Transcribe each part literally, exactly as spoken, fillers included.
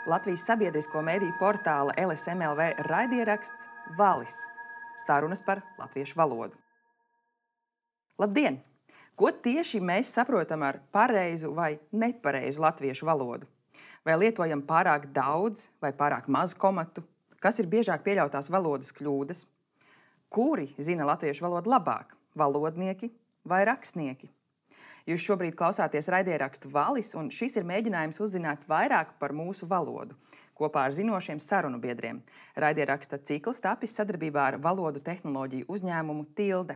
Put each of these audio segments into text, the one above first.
Latvijas sabiedrisko mediju portāla L S M L V raidieraksts Valis – sarunas par latviešu valodu. Labdien! Ko tieši mēs saprotam ar pareizu vai nepareizu latviešu valodu? Vai lietojam pārāk daudz vai pārāk maz komatu? Kas ir biežāk pieļautās valodas kļūdas? Kuri zina latviešu valodu labāk – valodnieki vai rakstnieki? Jūs šobrīd klausāties raidierakstu Valis, un šis ir mēģinājums uzzināt vairāk par mūsu valodu, kopā ar zinošiem sarunu biedriem. Raidieraksta cikls tapis sadarbībā ar valodu tehnoloģiju uzņēmumu Tilde.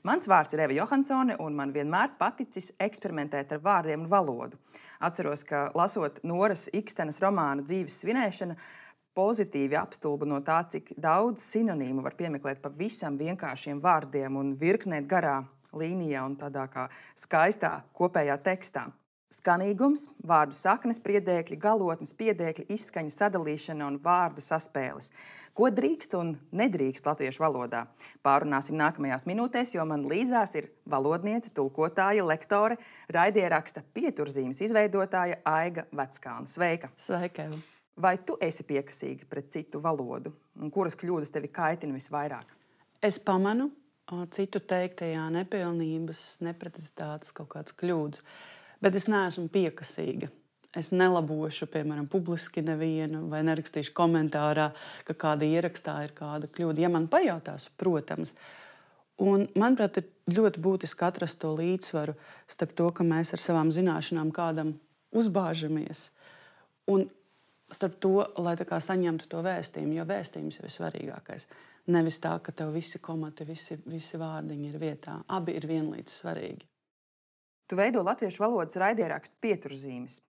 Mans vārds ir Eva Johansone, un man vienmēr paticis eksperimentēt ar vārdiem un valodu. Atceros, ka lasot Noras Ikstenes romānu Dzīves svinēšana, pozitīvi apstulbu no tā, cik daudz sinonīmu var piemeklēt pavisam vienkāršiem vārdiem un virknēt garā līnijā un tādā kā skaistā kopējā tekstā. Skanīgums, vārdu saknes, priedēkļi, galotnes, piedēkļi, izskaņa sadalīšana un vārdu saspēles. Ko drīkst un nedrīkst latviešu valodā? Pārunāsim nākamajās minūtēs, jo man līdzās ir valodniece, tulkotāja, lektore, raidieraksta pieturzīmes izveidotāja Aiga Veckalne. Sveika! Sveika! Vai tu esi piekasīga pret citu valodu? Un kuras kļūdas tevi kaitina visvairāk? Es pamanu citu teiktajā nepilnības, neprecizitātes, kaut kādas kļūdas, bet es neesmu piekasīga. Es nelabošu, piemēram, publiski nevienu vai nerakstīšu komentārā, ka kāda ierakstā ir kāda kļūda. Ja man pajautās, protams. Un, manuprāt, ir ļoti būtiski atrast to līdzsvaru starp to, ka mēs ar savām zināšanām kādam uzbāžamies, un starp to, lai tā kā saņemtu to vēstījumu, jo vēstījums jau ir svarīgākais. Nevis tā, ka tev visi komati, visi, visi vārdiņi ir vietā. Abi ir vienlīdz svarīgi. Tu veido latviešu valodas raidierakstu pieturzīmes.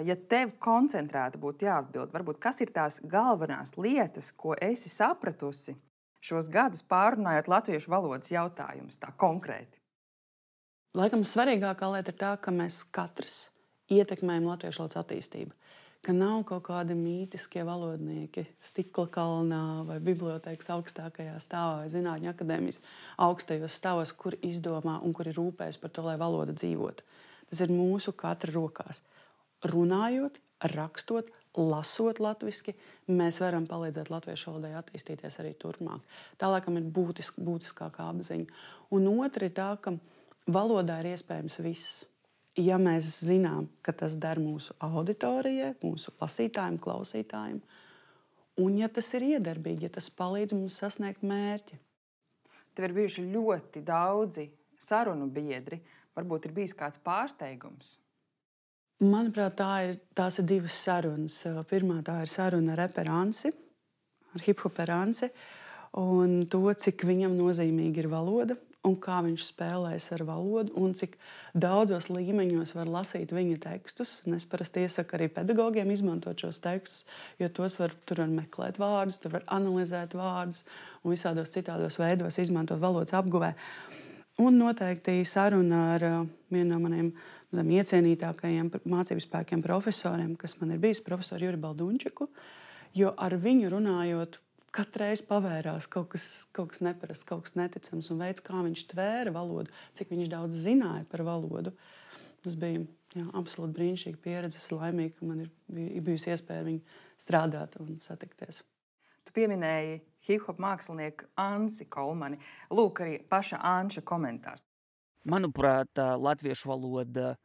Ja tev koncentrēti būtu jāatbild, varbūt kas ir tās galvenās lietas, ko esi sapratusi šos gadus pārunājot latviešu valodas jautājumus tā konkrēti? Laikam svarīgākā lieta ir tā, ka mēs katrs ietekmējam latviešu valodas attīstību. Ka nav kaut kādi mītiskie valodnieki stikla kalnā vai bibliotēkas augstākajā stāvā vai zinātņu akadēmijas augstajos stāvos, kur izdomā un kur ir rūpējas par to, lai valoda dzīvotu. Tas ir mūsu katra rokās. Runājot, rakstot, lasot latviski, mēs varam palīdzēt latviešu valodai attīstīties arī turpmāk. Tā laikam ir būtisk, būtiskākā apziņa. Un otra ir tā, ka valodā ir iespējams viss. Ja mēs zinām, ka tas der mūsu auditorijai, mūsu lasītājiem, klausītājiem, un ja tas ir iedarbīgi, ja tas palīdz mums sasniegt mērķi. Tev ir bijuši ļoti daudzi sarunu biedri. Varbūt ir bijis kāds pārsteigums? Manuprāt, tā ir, tās ir divas sarunas. Pirmā tā ir saruna ar Eperansi, ar hiphoperansi, un to, cik viņam nozīmīgi ir valoda, un kā viņš spēlēs ar valodu, un cik daudzos līmeņos var lasīt viņa tekstus. Un es parasti iesaku arī pedagogiem izmantot šos tekstus, jo tos var, tur var meklēt vārdus, tur var analizēt vārdus un visādos citādos veidos izmantot valodas apguvē. Un noteikti saruna ar vienu no maniem iecienītākajiem mācību spēkiem profesoriem, kas man ir bijis, profesoru Juri Baldunčiku, jo ar viņu runājot, katreiz pavērās kaut kas, kaut kas neparasts, kaut kas neticams, un veids, kā viņš tvēra valodu, cik viņš daudz zināja par valodu. Tas bija jā, absolūti brīnišķīga pieredze. Es laimīga, ka man ir bijusi iespēja ar viņu strādāt un satikties. Tu pieminēji hip-hop mākslinieku Ansi Kolmani. Lūk, arī paša Anša komentārs. Manuprāt, latviešu valoda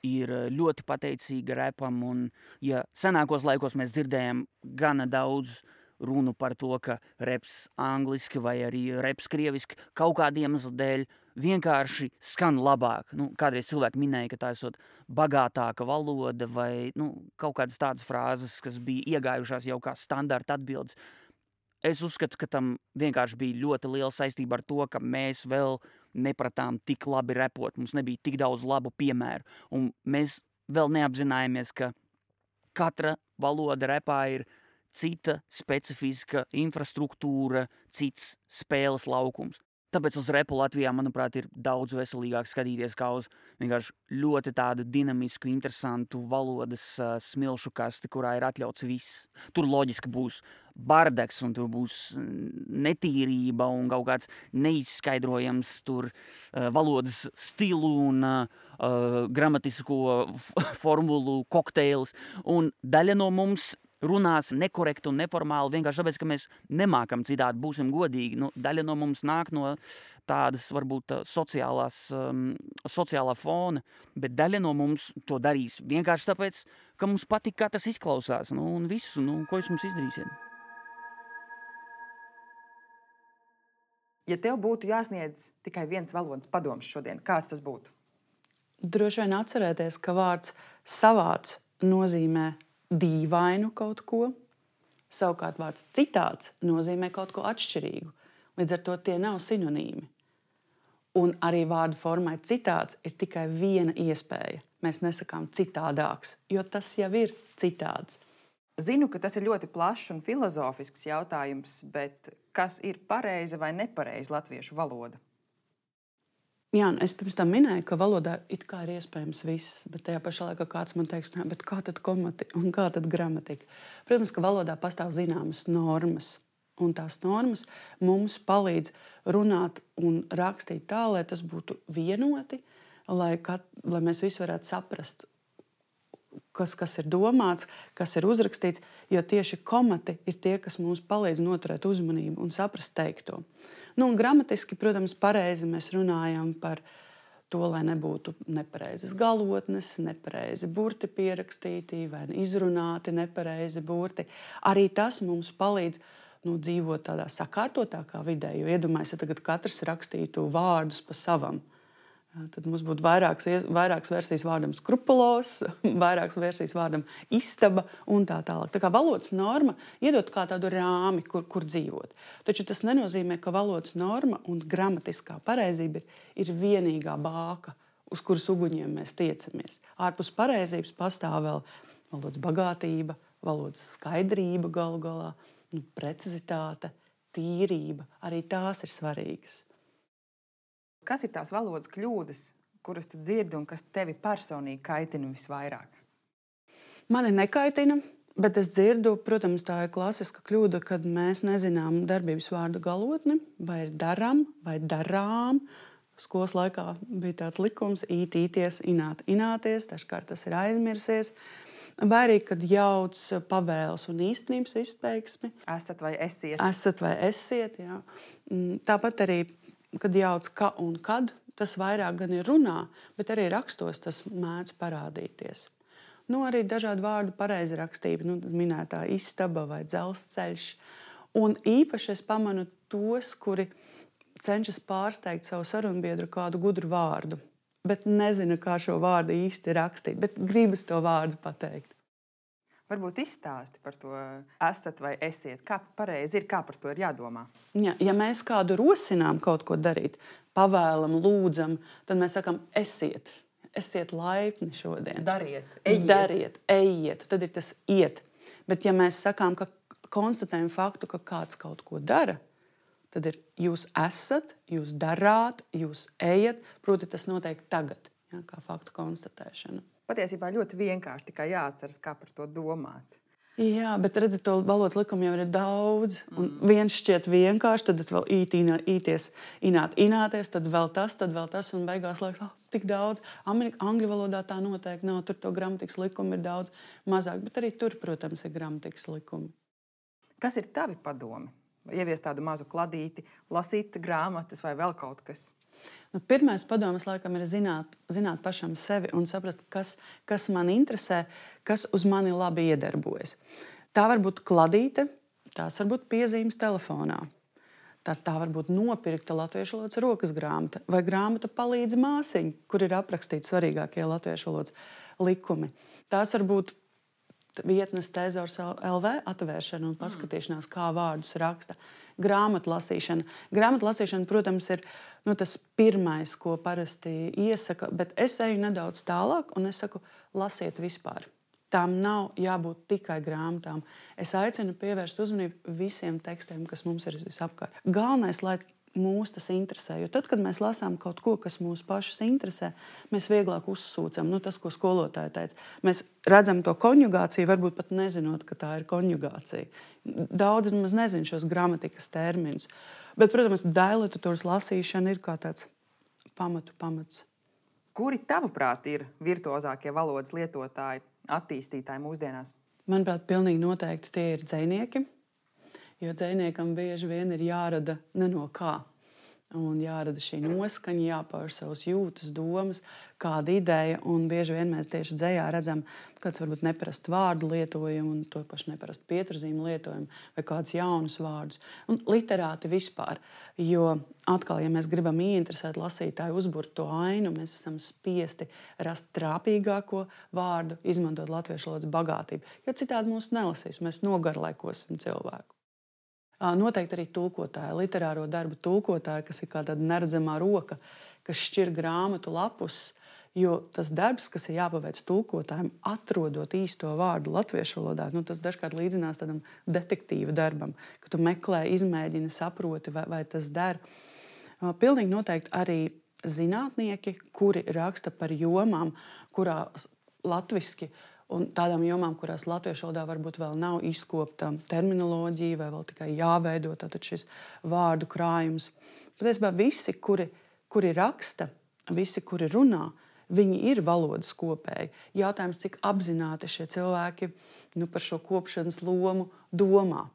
ir ļoti pateicīga repam, un ja senākos laikos mēs dzirdējam gana daudz runu par to, ka reps angliski vai arī reps krieviski kaut kādu iemeslu dēļ vienkārši skan labāk. Nu, kādreiz cilvēki minēja, ka tā esot bagātāka valoda vai nu, kaut kādas tādas frāzes, kas bija iegājušās jau kā standarta atbildes. Es uzskatu, ka tam vienkārši bija ļoti liela saistība ar to, ka mēs vēl nepratām tik labi repot. Mums nebija tik daudz labu piemēru. Un mēs vēl neapzinājāmies, ka katra valoda repā ir cita specifiska infrastruktūra, cits spēles laukums. Tāpēc uz repu Latvijā, manuprāt, ir daudz veselīgāk skatīties kā uz vienkārši ļoti tādu dinamisku, interesantu valodas uh, smilšu kasti, kurā ir atļauts viss. Tur loģiski būs bardeks un tur būs netīrība un kaut kāds neizskaidrojams tur uh, valodas stilu un uh, uh, gramatisko formulu kokteils. Un daļa no mums runās nekorekti un neformāli, vienkārši tāpēc, ka mēs nemākam citādi, būsim godīgi. Nu, daļa no mums nāk no tādas, varbūt, sociālās, um, sociālā fona, bet daļa no mums to darīs vienkārši tāpēc, ka mums patīk, kā tas izklausās. Nu, un visu, nu, ko jūs mums izdarīsiet? Ja tev būtu jāsniedz tikai viens valodas padoms šodien, kāds tas būtu? Droši vien atcerēties, ka vārds savāds nozīmē dīvainu kaut ko, savukārt vārds citāds nozīmē kaut ko atšķirīgu. Līdz ar to tie nav sinonīmi. Un arī vārdu formai citāds ir tikai viena iespēja. Mēs nesakām citādāks, jo tas jau ir citāds. Zinu, ka tas ir ļoti plašs un filozofisks jautājums, bet kas ir pareiza vai nepareiza latviešu valoda? Jā, es pirms tam minēju, ka valodā it kā ir iespējams viss, bet tajā pašā laikā kāds man teiks, bet kā tad komati un kā tad gramatika? Protams, ka valodā pastāv zināmas normas, un tās normas mums palīdz runāt un rakstīt tā, lai tas būtu vienoti, lai, kat, lai mēs visi varētu saprast, kas, kas ir domāts, kas ir uzrakstīts, jo tieši komati ir tie, kas mums palīdz noturēt uzmanību un saprast teikto. Nu, un gramatiski, protams, pareizi mēs runājam par to, lai nebūtu nepareizas galotnes, nepareizi burti pierakstīti vai izrunāti nepareizi burti. Arī tas mums palīdz nu, dzīvot tādā sakārtotākā vidē, jo iedomājieties, ja tagad katrs rakstītu vārdus pa savam. Tad mums būtu vairākas, vairākas versijas vārdam skrupulos, vairākas versijas vārdam istaba un tā tālāk. Tā kā valodas norma iedod kā tādu rāmi, kur, kur dzīvot. Taču tas nenozīmē, ka valodas norma un gramatiskā pareizība ir, ir vienīgā bāka, uz kuras uguņiem mēs tiecamies. Ārpus pareizības pastāv vēl valodas bagātība, valodas skaidrība galu galā, nu, precizitāte, tīrība. Arī tās ir svarīgas. Kas ir tās valodas kļūdas, kuras tu dzirdi un kas tevi personīgi kaitina visvairāk? Mani nekaitina, bet es dzirdu, protams, tā ir klasiska kļūda, kad mēs nezinām darbības vārdu galotni, vai ir daram, vai darām. Skolas laikā bija tāds likums īt, īties, ināt, ināties, dažkārt tas ir aizmirsies. Vai arī, kad jauc pavēles un īstenības izteiksmi. Esat vai esiet. Esat vai esiet, jā. Tāpat arī kad jauc ka un kad, tas vairāk gan ir runā, bet arī rakstos tas mēdz parādīties. Nu, arī dažādu vārdu pareizrakstība, nu, minētā istaba vai dzelzceļš. Un īpaši es pamanu tos, kuri cenšas pārsteigt savu sarunbiedru kādu gudru vārdu, bet nezinu, kā šo vārdu īsti rakstīt, bet gribas to vārdu pateikt. Varbūt izstāsti par to esat vai esiet. Kā pareizi ir, kā par to ir jādomā? Ja, ja mēs kādu rosinām kaut ko darīt, pavēlam, lūdzam, tad mēs sakam esiet. Esiet laipni šodien. Dariet, ejiet. Dariet, ejiet. Tad ir tas iet. Bet ja mēs sakām, ka konstatējam faktu, ka kāds kaut ko dara, tad ir jūs esat, jūs darāt, jūs ejat, proti tas notiek tagad, ja, kā faktu konstatēšana. Patiesībā ļoti vienkārši, tikai jāatceras, kā par to domāt. Jā, bet redziet, to valodas likumu jau ir daudz. Un viens šķiet vienkārši, tad vēl īt, inā, īties, ināt, ināties, tad vēl tas, tad vēl tas, un beigās liekas, oh, tik daudz. Amerika, angļu valodā tā noteikti nav, tur to gramatikas likumu ir daudz mazāk, bet arī tur, protams, ir gramatikas likumi. Kas ir tavi padomi? Ieviest tādu mazu kladīti, lasīt grāmatas vai vēl kaut kas? Nu, pirmais padoms, laikam, ir zināt, zināt pašam sevi un saprast, kas, kas man interesē, kas uz mani labi iedarbojas. Tā var būt kladīte, tās var būt piezīmes telefonā. Tā, tā var būt nopirkta latviešu valodas rokas grāmata vai grāmata palīdz māsiņa, kur ir aprakstīti svarīgākie latviešu valodas likumi. Tās var būt vietnes Tezors L V atvēršana un paskatīšanās, kā vārdus raksta. Grāmatlasīšana. Grāmatlasīšana, protams, ir nu, tas pirmais, ko parasti iesaka, bet es eju nedaudz tālāk un es saku, lasiet vispār. Tām nav jābūt tikai grāmatām. Es aicinu pievērst uzmanību visiem tekstiem, kas mums ir visapkārt. Galvenais, lai mūs tas interesē, jo tad, kad mēs lasām kaut ko, kas mūs pašus interesē, mēs vieglāk uzsūcam, nu, tas, ko skolotāja teica. Mēs redzam to konjugāciju, varbūt pat nezinot, ka tā ir konjugācija. Daudz maz nezinu šos gramatikas terminus. Bet, protams, daļliteratūras lasīšana ir kā tāds pamatu pamats. Kuri tavuprāt ir virtuozākie valodas lietotāji, attīstītāji mūsdienās? Manuprāt, pilnīgi noteikti tie ir dzejnieki, jo dzejniekam bieži vien ir jārada ne no kā. Un jārada šī noskaņa, jāpauž savas jūtas, domas, kāda ideja. Un bieži vien mēs tieši dzejā redzam kāds varbūt neparastu vārdu lietojumu un to pašu neparastu pieturzīmu lietojumu vai kādus jaunus vārdus. Un literāti vispār, jo atkal, ja mēs gribam ieinteresēt lasītāju, uzburt to ainu, mēs esam spiesti rast trāpīgāko vārdu, izmantot latviešu valodas bagātību. Jo citādi mūs nelasīs, mēs nogarlaikosim cilvēku. Noteikti arī tulkotāji, literāro darbu tulkotāji, kas ir kā tāda neredzamā roka, kas šķir grāmatu lapus, jo tas darbs, kas ir jāpaveic tulkotājiem, atrodot īsto vārdu latviešu valodā, nu, tas dažkārt līdzinās tādam detektīva darbam, ka tu meklē, izmēģini, saproti, vai, vai tas der. Pilnīgi noteikti arī zinātnieki, kuri raksta par jomām, kurā latviski un tādām jomām, kurās latviešu valodā varbūt vēl nav izkopta terminoloģija vai vēl tikai jāveido tātad šis vārdu krājums. Patiesībā visi, kuri, kuri raksta, visi, kuri runā, viņi ir valodas kopēji. Jautājums, cik apzināti šie cilvēki nu, par šo kopšanas lomu domā.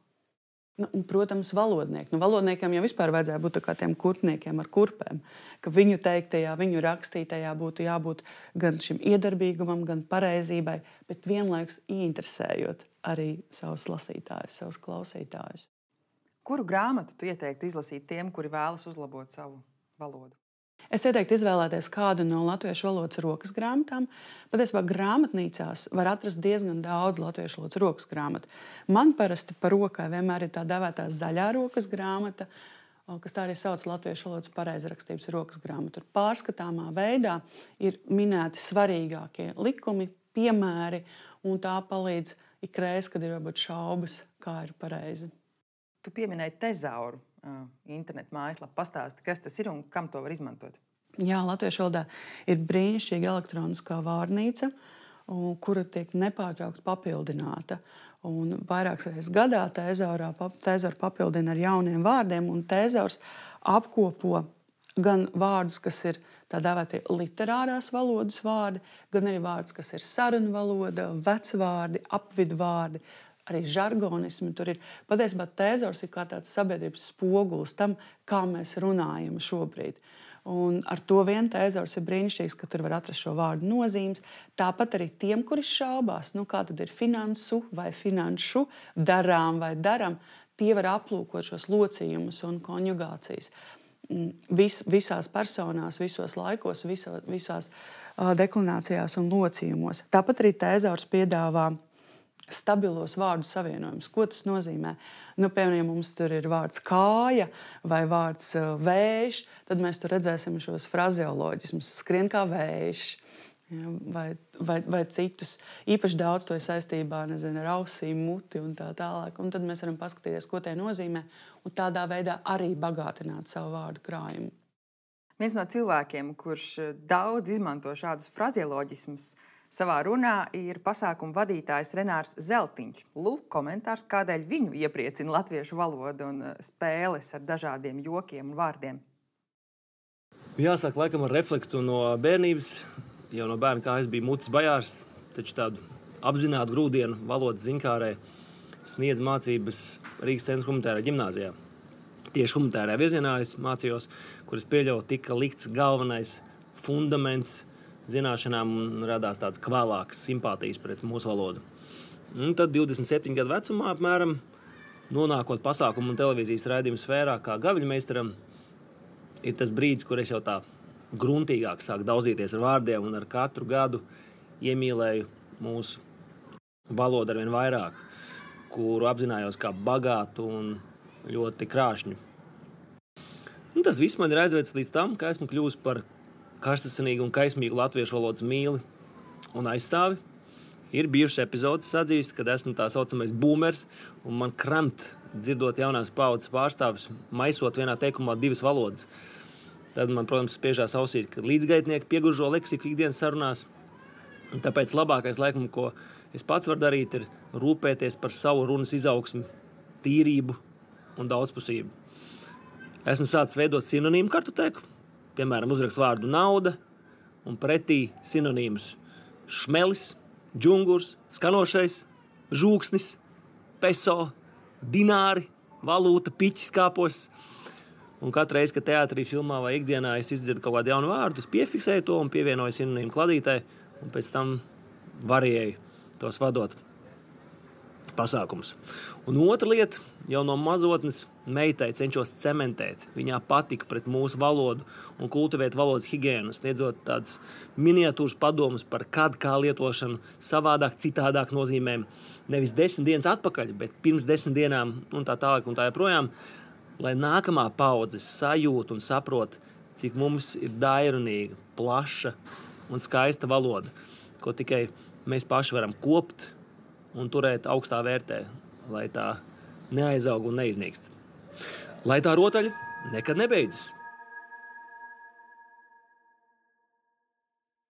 Nu, un, protams, valodnieki. Nu, valodniekiem jau vispār vajadzēja būt kā tiem kurpniekiem ar kurpēm, ka viņu teiktajā, viņu rakstītajā būtu jābūt gan šim iedarbīgumam, gan pareizībai, bet vienlaikus ieinteresējot arī savus lasītājus, savus klausītājus. Kuru grāmatu tu ieteiktu izlasīt tiem, kuri vēlas uzlabot savu valodu? Es ieteiktu izvēlēties kādu no latviešu valodas rokas grāmatām. Patiesībā grāmatnīcās var atrast diezgan daudz latviešu valodas rokas grāmatu. Man parasti par rokai vienmēr ir tā dēvētā zaļā rokas grāmata, kas tā arī sauc latviešu valodas pareizrakstības rokas grāmatu. Tur pārskatāmā veidā ir minēti svarīgākie likumi, piemēri, un tā palīdz ikreiz, kad ir varbūt šaubas, kā ir pareizi. Tu pieminēji tezauru. Internetu mājaslapa pastāsti, kas tas ir un kam to var izmantot? Jā, latviešu valodā ir brīnišķīga elektroniskā vārnīca, kura tiek nepārtraukti papildināta. Un vairākas reizes gadā tezaurā tezauru papildina ar jauniem vārdiem, un tezaurs apkopo gan vārdus, kas ir tā dēvētie literārās valodas vārdi, gan arī vārdus, kas ir sarunu valoda, vecvārdi, apvidvārdi, arī žargonismi tur ir. Patiesībā tezaurs ir kā tāds sabiedrības spogulis tam, kā mēs runājam šobrīd. Un ar to vien tezaurs ir brīnišķīgs, ka tur var atrast šo vārdu nozīmes. Tāpat arī tiem, kuri šaubās, nu kā tad ir finansu vai finanšu, darām vai daram, tie var aplūkot šos locījumus un konjugācijas. Vis, visās personās, visos laikos, viso, visās uh, deklinācijās un locījumos. Tāpat arī tezaurs piedāvā stabilos vārdu savienojumus. Ko tas nozīmē? Nu, piemēram, ja mums tur ir vārds kāja vai vārds uh, vējš, tad mēs tur redzēsim šos frazeoloģismus. Skrien kā vējš, ja, vai, vai, vai citus. Īpaši daudz to ir saistībā, nezinu, ar ausīm, muti un tā tālāk. Un tad mēs varam paskatīties, ko tie nozīmē, un tādā veidā arī bagātināt savu vārdu krājumu. Viens no cilvēkiem, kurš daudz izmanto šādus frazeoloģismus, savā runā ir pasākuma vadītājs Renārs Zeltiņš. Lūk, komentārs, kādēļ viņu iepriecina latviešu valoda un spēles ar dažādiem jokiem un vārdiem. Jāsāk laikam ar reflektu no bērnības. Jau no bērna kā es biju mutis bajārs, taču tādu apzinātu grūdienu valodas ziņkārē sniedz mācības Rīgas centra humanitārajā ģimnāzijā. Tieši humanitārajā virzienā es mācījos, kuras pieļauju tika likts galvenais fundaments zināšanām un radās tāds kvēlāks simpātijas pret mūsu valodu. Un tad divdesmit septiņu gadu vecumā apmēram, nonākot pasākumu un televīzijas raidījumu sfērā kā gaviļmeistaram, ir tas brīdis, kur es jau tā gruntīgāk sāku daudzīties ar vārdiem un ar katru gadu iemīlēju mūsu valodu arvien vairāk, kuru apzinājos kā bagātu un ļoti krāšņu. Un tas viss man ir aizvedis līdz tam, ka esmu kļuvis par karstasinīgu un kaismīgu latviešu valodas mīli un aizstāvi. Ir bijušas epizodes atzīst, kad esmu tā saucamais boomers, un man kramt dzirdot jaunās paudzes pārstāvis, maisot vienā teikumā divas valodas. Tad man, protams, spiežās ausīt, ka līdzgaitnieki pieguržo leksiku ikdienas sarunās. Un tāpēc labākais laikam, ko es pats varu darīt, ir rūpēties par savu runas izaugsmi, tīrību un daudzpusību. Esmu sācis veidot sinonīmu kartotēku. Piemēram, uzrakstu vārdu nauda un pretī sinonīmus šmelis, džungurs, skanošais, žūksnis, peso, dināri, valūta, piķis kāpos. Un katru reizi, kad teātrī, filmā vai ikdienā es izdzirdu kaut kādu jaunu vārdu, es piefiksēju to un pievienoju sinonīmu kladītē, un pēc tam varēju tos vadot pasākumus. Un otra lieta, jau no mazotnes meitai cenšos cementēt. Viņā patika pret mūsu valodu un kultivēt valodas higiēnu, sniedzot tādus miniatūras padomus par kad kā lietošanu savādāk, citādāk nozīmēm. Nevis desmit dienas atpakaļ, bet pirms desmit dienām un tā tālāk un tā joprojām, lai nākamā paudze sajūt un saprot, cik mums ir dairunīga, plaša un skaista valoda, ko tikai mēs paši varam kopt un turēt augstā vērtē, lai tā neaizaug un neiznīkst. Lai tā rotaļa nekad nebeidzas.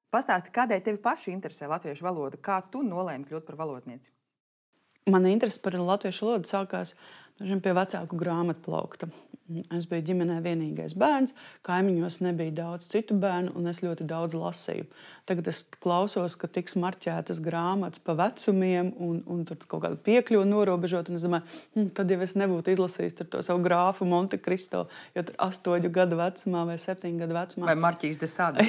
Pastāsti, kādēļ tevi paši interesē latviešu valoda? Kā tu nolēmi kļūt par valodnieci? Mana interese par latviešu valodu sākās pie vecāku grāmatplaukta. Es biju ģimenē vienīgais bērns, kaimiņos nebija daudz citu bērnu, un es ļoti daudz lasīju. Tagad es klausos, ka tiks marķētas grāmatas pa vecumiem, un, un tur kaut kāda piekļuva norobežot, un es domāju, hm, tad jau es nebūtu izlasījis tur to savu grāfu Monte Cristo, jo tur astoņu gadu vecumā vai septiņu gadu vecumā. Vai Marķīs de Sade?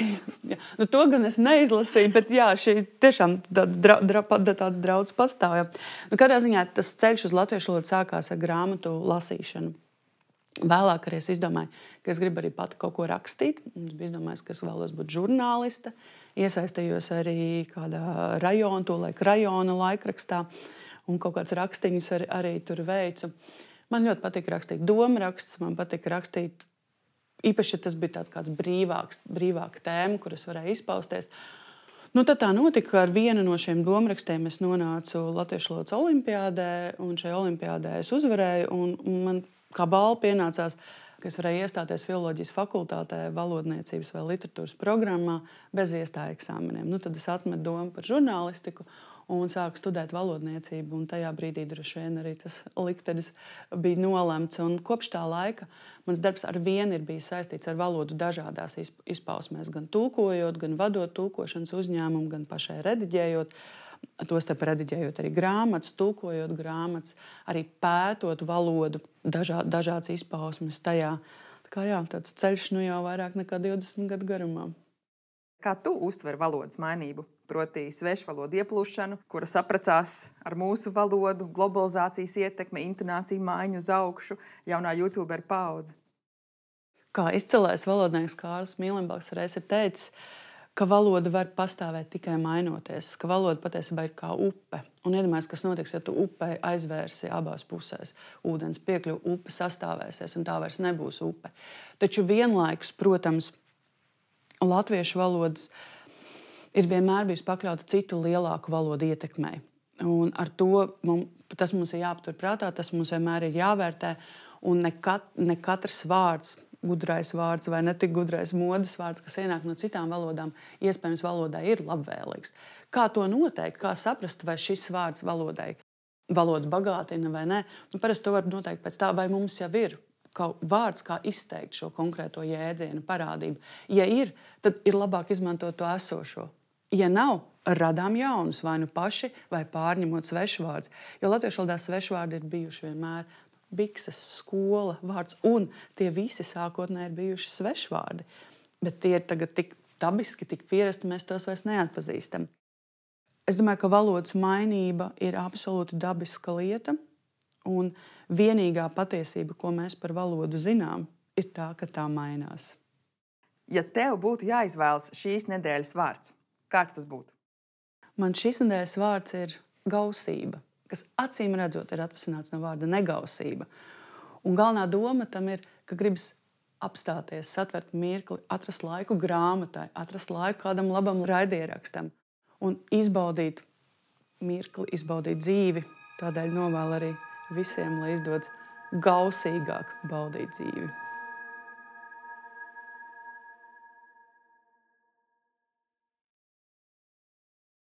Nu, to gan es neizlasīju, bet jā, šī tiešām dra, dra, tāds draudz pastāv. Nu, kādā ziņā tas ceļš uz latviešu valodu sākās ar grāmatu lasīšanu. Vēlāk arī es izdomāju, ka es gribu arī pati kaut ko rakstīt. Es biju izdomājis, ka es vēlos būt žurnāliste. Iesaistījos arī kādā rajona, to laika rajona laikrakstā, un kaut kāds rakstiņus arī, arī tur veicu. Man ļoti patika rakstīt domrakstus, man patika rakstīt, īpaši, ja tas bija tāds kāds brīvāks, brīvāka tēma, kur es varēju izpausties. Nu, tad tā notika, ka ar vienu no šiem domrakstiem es nonācu Latviešu valodas olimpiādē, un šajā olimpiādē es uzvarēju, un, un man kā balva pienācās, ka es varēju iestāties filoloģijas fakultātē, valodniecības vai literatūras programmā bez iestāju eksāmeniem. Nu, tad es atmetu domu par žurnālistiku un sāku studēt valodniecību, un tajā brīdī droši vien arī tas liktenis bija nolemts. Un kopš tā laika mans darbs ar vienu ir bijis saistīts ar valodu dažādās izpausmēs, gan tulkojot, gan vadot tulkošanas uzņēmumu, gan pašai rediģējot. Tostarp rediģējot arī grāmatas, tulkojot grāmatas, arī pētot valodu, dažā, dažādas izpausmes tajā. Tā kā jā, tāds ceļš nu jau vairāk nekā divdesmit gadu garumā. Kā tu uztver valodas mainību? Proti svešvalodu ieplūšanu, kura sapracās ar mūsu valodu, globalizācijas ietekme, intonāciju maiņu uz augšu, jaunā YouTuberu paudze? Kā izcilais valodnieks Kārlis Mīlenbaks reiz ir teicis, ka valoda var pastāvēt tikai mainoties, ka valoda patiesībā ir kā upe. Un iedomājies, kas notiks, ja tu upei aizvērsi abās pusēs. Ūdens piekļuva, upe sastāvēsies, un tā vairs nebūs upe. Taču vienlaikus, protams, latviešu valodas ir vienmēr bijusi pakļauta citu lielāku valodu ietekmei. Un ar to mums, tas mums ir jāaptur prātā, tas mums vienmēr ir jāvērtē, un ne, kat, ne katrs vārds, gudrais vārds vai ne tik gudrais modes vārds, kas ienāk no citām valodām, iespējams valodai ir labvēlīgs. Kā to noteikt, kā saprast, vai šis vārds valodai valoda bagātina vai ne? Nu, parasti to var noteikt pēc tā, vai mums jau ir kaut vārds, kā izteikt šo konkrēto jēdzienu parādību. Ja ir, tad ir labāk izmantot to esošo. Ja nav, radām jaunus, vai nu paši, vai pārņemot svešvārds. Jo latviešu valodā svešvārdi ir bijuši vienmēr bikses, skola, vārds, un tie visi sākotnēji ir bijuši svešvārdi. Bet tie ir tagad tik dabiski, tik pierasti, mēs tos vairs neatpazīstam. Es domāju, ka valodas mainība ir absolūti dabiska lieta, un vienīgā patiesība, ko mēs par valodu zinām, ir tā, ka tā mainās. Ja tev būtu jāizvēlas šīs nedēļas vārds, kāds tas būtu? Man šīs nedēļas vārds ir gausība, kas acīm redzot ir atvasināts no vārda negausība. Un galvenā doma tam ir, ka gribas apstāties, satvert mirkli, atrast laiku grāmatai, atrast laiku kādam labam raidierakstam un izbaudīt mirkli, izbaudīt dzīvi. Tādēļ novēlu arī visiem, lai izdodas gausīgāk baudīt dzīvi.